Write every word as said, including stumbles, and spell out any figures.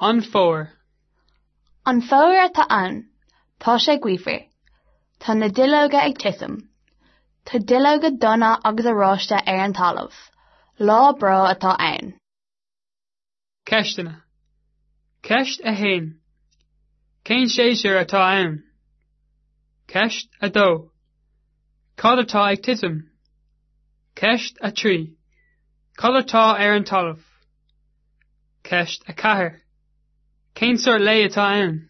An fómhar. An fómhar atá ann, tá sé gaofar. Tá na duilleoga ag titim. Tá duilleoga donna agus oráiste ar an talamh. Lá breá atá ann. Ceisteanna. Ceist a haon. Cén séasúr atá ann? Ceist a dó. Cad atá ag titim? Ceist a trí. Cad atá ar an talamh? Ceist a ceathair. Cén sórt lae atá ann?